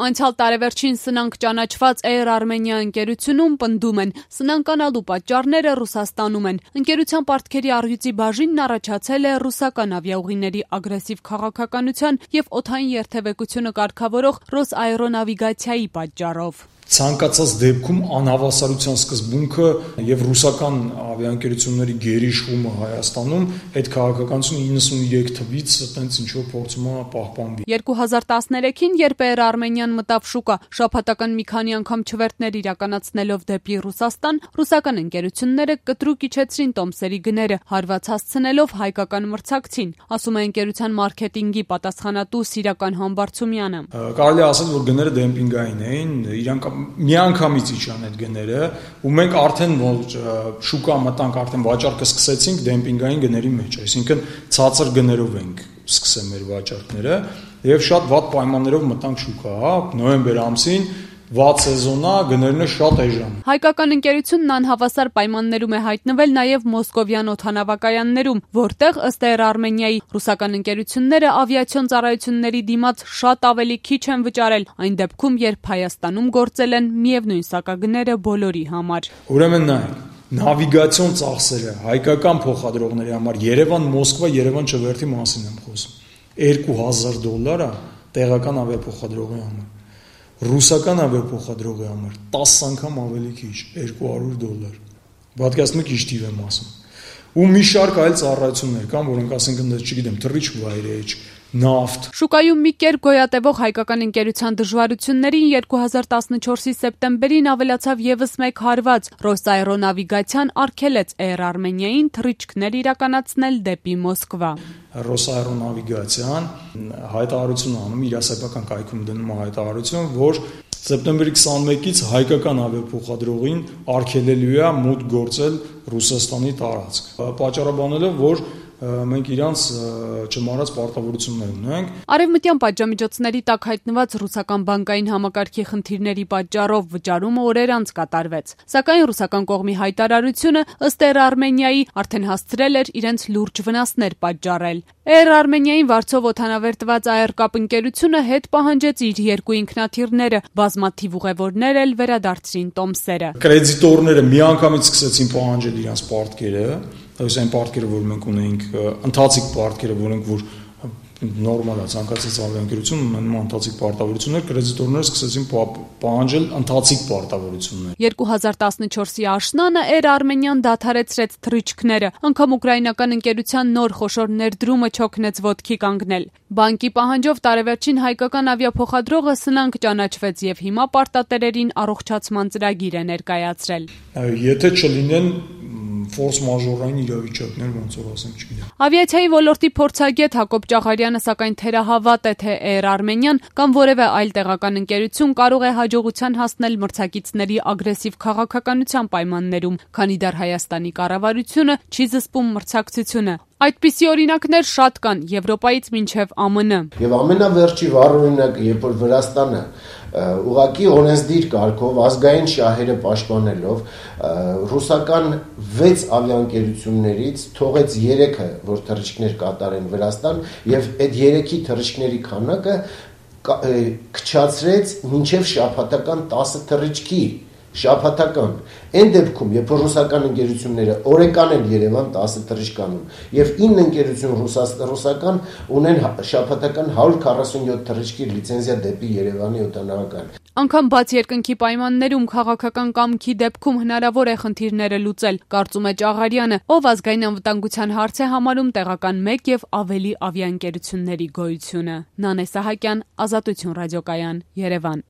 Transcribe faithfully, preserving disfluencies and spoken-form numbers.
Անցյալ տարեվերջին սնանկ ճանաչված Air Armenia ընկերությունում պնդում են, սնանկանալու պատճառները Ռուսաստանում են։ Ընկերության պարտքերի առյուծի բաժինն առաջացել է ռուսական ավիաուղիների ագրեսիվ քաղաքականության և օդային երթևեկությունը կարգավորող Ռոսաերոնավիգացիայի պատճառով։ Ցանկացած դեպքում անհավասարության սկզբունքը եւ ռուսական ավիաընկերությունների գերիշխումը Հայաստանում այդ քաղաքականությունը իննսուներեք թվից այտենց ինչ որ փորձում է պահպանվի։ երկու հազար տասներեքին, երբ Air Armenian մտավ շուկա, շաբաթական մի քանի անգամ չվերթներ իրականացնելով դեպի Ռուսաստան, ռուսական ընկերությունները կտրուկ իջեցրին տոմսերի գները, հարված հասցնելով հայկական մրցակցին, ասում է ընկերության մարքեթինգի պատասխանատու Սիրական Համբարձումյանը։ Կարելի է ասել, որ գները դեմպինգային էին, իրանք միանգամից իջան այդ գները, ու մենք արդեն շուկա մտանք, արդեն վաճառքը սկսեցինք դեմպինգային գների մեջ, այսինքն ցածր գներով ենք սկսել մեր վաճառքները եւ շատ վատ պայմաններով մտանք շուկա, նոյեմբեր ամսին վատ սեզոնա, գներն շատ էժան։ Հայկական ընկերությունն անհավասար պայմաններում է հայտնվել նաև մոսկովյան օդանավակայաններում, որտեղ ըստ Air Armenia-ի ռուսական ընկերությունները ավիացիոն ծառայությունների դիմաց շատ ավելի քիչ են վճարել, այն դեպքում, երբ Հայաստանում գործել են միևնույն սակագները բոլորի համար։ Ուրեմն նայեք, նավիգացիոն ծախսերը հայկական փոխադրողների համար Երևան-Մոսկվա, Երևան-Չվերթի մասին եմ խոսում։ երկու հազար դոլար է տեղական ավիափոխադրողի համար։ Ռուսական ավիափոխադրողի համար տասը անգամ ավելի քիչ, երկու հարյուր դոլար։ Պատկերացնում եք ինչ թիվ եմ ասում։ Ու մի շարք այլ ծառայություններ կան, որոնք ասենք չգիտեմ, թռիչք վայրեջ, նավթ։ Շուկայում մի կերպ գոյատևող հայկական ընկերության դժվարություններին երկու հազար տասնչորսի սեպտեմբերին ավելացավ եւս մեկ հարված։ Ռոսաերոնավիգացիան արգելեց Air Armenia-ին թռիչքներ իրականացնել դեպի Մոսկվա։ Ռոսաերոնավիգացիան հայտարարություն անում, իր սեփական կայքում դնում է հայտարարություն, որ սեպտեմբերի քսանմեկից հայկական ավիափոխադրողին արգելելու է մուտք գործել Ռուսաստանի տարածք։ Պատճառաբանելով, որ մենք իրանց չմարած պարտավորություններ ունենք։ Արևմտյան պատժամիջոցների տակ հայտնված ռուսական բանկային համակարգի խնդիրների պատճառով վճարումը օրեր անց կատարվեց։ Սակայն ռուսական կողմի հայտարարությունը ըստ Air Armenia-ի արդեն հասցրել էր իրենց լուրջ վնասներ պատճառել։ Air Armenia-ին վարձով օդանավերտված Aircap ընկերությունը հետ պահանջեց իր երկու ինքնաթիռները, բազմաթիվ ուղևորներ էլ վերադարձրին տոմսերը։ Կրեդիտորները միանգամից սկսեցին պահանջել իրենց պարտքերը, այս այն պարտքերը, որ մենք ունենք, ընթացիկ պարտքերը, որոնք որ նորմալ է, ցանկացած ավիաընկերություն ունենում ընթացիկ պարտավորություններ, կրեդիտորները սկսեցին պահանջել ընթացիկ պարտավորություններ։ երկու հազար տասնչորսի աշնանը Air Armenian դադարեցրեց թռիչքները, անգամ ուկրաինական ընկերության նոր խոշոր ներդրումը չօգնեց ոտքի կանգնել։ Բանկի պահանջով տարեվերջին հայկական ավիափոխադրողը սնանկ ճանաչվեց եւ հիմա պարտատերերին առողջացման ծրագիր է ներկայացրել։ Եթե չլինեն ֆորս մաժորային իրավիճակներ, ոնց որ ասենք, չգիտեմ։ Ավիացիայի ոլորտի փորձագետ Հակոբ Ճաղարյանը սակայն թերահավատ է, թե Air Armenian կամ որևէ այլ տեղական ընկերություն կարող է հաջողության հասնել մրցակիցների ագրեսիվ քաղաքականության պայմաններում, քանի դեռ Հայաստանի կառավարությունը չի զսպում մրցակցությունը։ Այդպիսի օրինակներ շատ կան Եվրոպայից մինչև ԱՄՆ։ Եվ ամենավերջի վառ օրինակը, երբ որ Վրաստանը ուղղակի օրենսդիր կարգով ազգային շահերը պաշտպանելով ռուսական վեց ավիաընկերություններից թողեց երեքը, որ թռիչքներ կատարեն Վրաստան, եւ այդ երեքի թռիչքների քանակը քչացրեց մինչև շաբաթական տասը թռիչքի։ Շաբաթական։ Այն դեպքում, երբ ռուսական ընկերությունները օրեկան են Երևան տասը թռիչքանում եւ ինը ընկերություն ռուսական ունեն շաբաթական հարյուր քառասունյոթ թռիչքի լիցենզիա դեպի Երևանի օդանավակայան։ Անկամ բաց երկնքի պայմաններում քաղաքական կամքի դեպքում հնարավոր է խնդիրները լուծել, կարծում է Ճաղարյանը, ով ազգային անվտանգության հարց է համարում տեղական մեկ եւ ավելի ավիաընկերությունների գոյությունը։ Նանե Սահակյան, Ազատություն ռադիոկայան, Երևան։